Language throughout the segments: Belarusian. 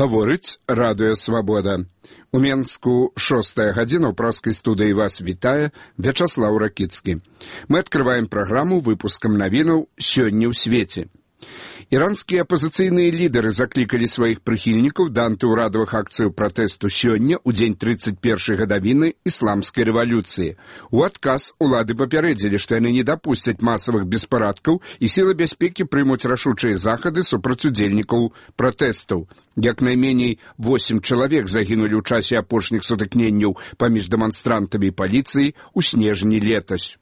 Гаворыць Радыё Свабода. У Менску 6 гадзіна, ў праскай студыі вас вітае Вячаслаў Ракіцкі. Мы адкрываем праграму выпускам навінаў «Сёння ў свеце». Іранскія апазіцыйныя лідары заклікалі сваіх прыхільнікаў да антыўрадавых акцыяў пратэсту сёння, у дзень 31-й гадавіны ісламскай рэвалюцыі. У адказ улады папярэдзілі, што яны не дапусцяць масавых беспарадкаў і сілы бяспекі прымуць рашучыя захады супраць удзельнікаў пратэстаў. Як найменей 8 чалавек загінулі ў часе апошніх сутыкненняў паміж дэманстрантамі і паліцыяй у снежні летась.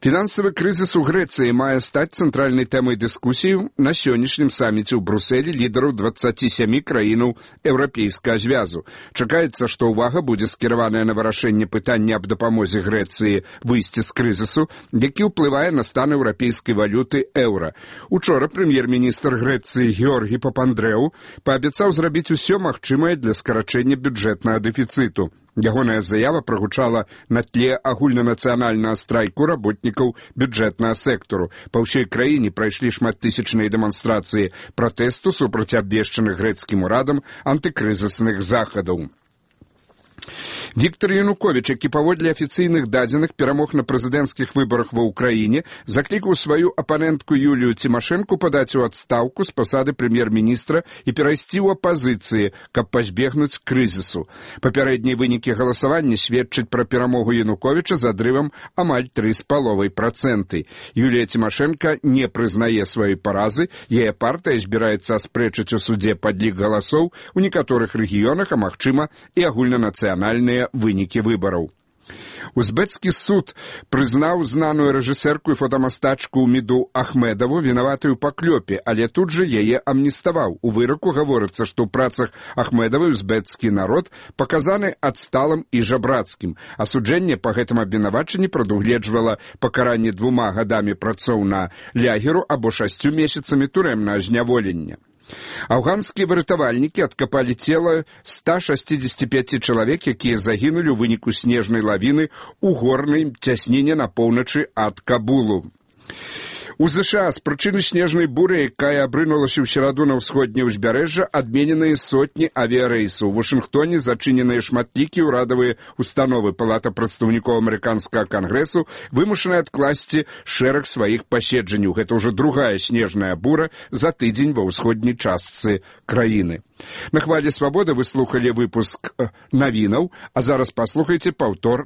Фінансавы крызіс у Грэцыі мае стаць цэнтральнай тэмай дыскусіі на сённяшнім саміце ў Брусэлі лідараў 27 краінаў Еўрапейскага звязу. Чакаецца, што ўвага будзе скіраваная на вырашэнне пытання аб дапамозе Грэцыі выйсці з крызісу, які ўплывае на стан еўрапейскай валюты еўра. Учора прэм'ер-міністр Грэцыі Георгі Папандрэу паабяцаў зрабіць усё магчымае для скарачэння бюджэтнага дэфіцыту. Ягоная заява прагучала на тле агульнанацыянальнага страйку работнікаў бюджэтнага сектару. Па ўсёй краіне прайшлі шматтысячныя дэманстрацыі пратэсту супраць абвешчаных грэцкім урадам антыкрызісных захадаў. Віктор Януковіч, які паводле афіцыйных дадзеных перамог на прэзідэнцкіх выбарах ва ўкраіне, заклікаў сваю апанентку Юлію Цімашэнку падаць у адстаўку з пасады прэм'ер-міністра і перайсці ў апазіцыі, каб пазбегнуць крызісу. Папярэднія вынікі галасавання сведчаць пра перамогу Януковіча з адрывам амаль 3,5%. Юлія Цімашэнка не прызнае сваёй паразы, яе партыя збіраецца аспрэчыць у судзе падлік галасоў у некаторых рэгіёнах, а магчыма і агульнанацыянальныя вынікі выбараў. Узбецкі суд прызнаў знаную рэжысэрку і фотамастачку Міду Ахмедаву вінаватай у паклёпе, але тут жа яе амніставаў. У выраку гаворыцца, што ў працах Ахмедавай узбецкі народ паказаны адсталым і жабрацкім. Асуджэнне па гэтым абвінавачанні прадугледжвала пакаранне 2 гадамі працоў на лягеру або 6 месяцамі турэмнага зняволення. Афганскія выратавальнікі адкапалі цела 165 чалавек, якія загінулі ў выніку снежнай лавіны ў горнай цясніне на поўначы ад Кабулу. У ЗША з прычыны снежнай буры, якая абрынулася ў сераду на ўсходняе ўзбярэжжа, адмененыя сотні авіярэйсаў. У Вашынгтоне зачыненыя шматлікія ўрадавыя установы. Палата прадстаўнікоў амерыканскага кангрэсу вымушана адкласці шэраг сваіх паседжанняў. Гэта ўжо другая снежная бура за тыдзень ва ўсходняй частцы краіны. На хвалі Свабоды вы слухалі выпуск навінаў, а зараз паслухайце паўтор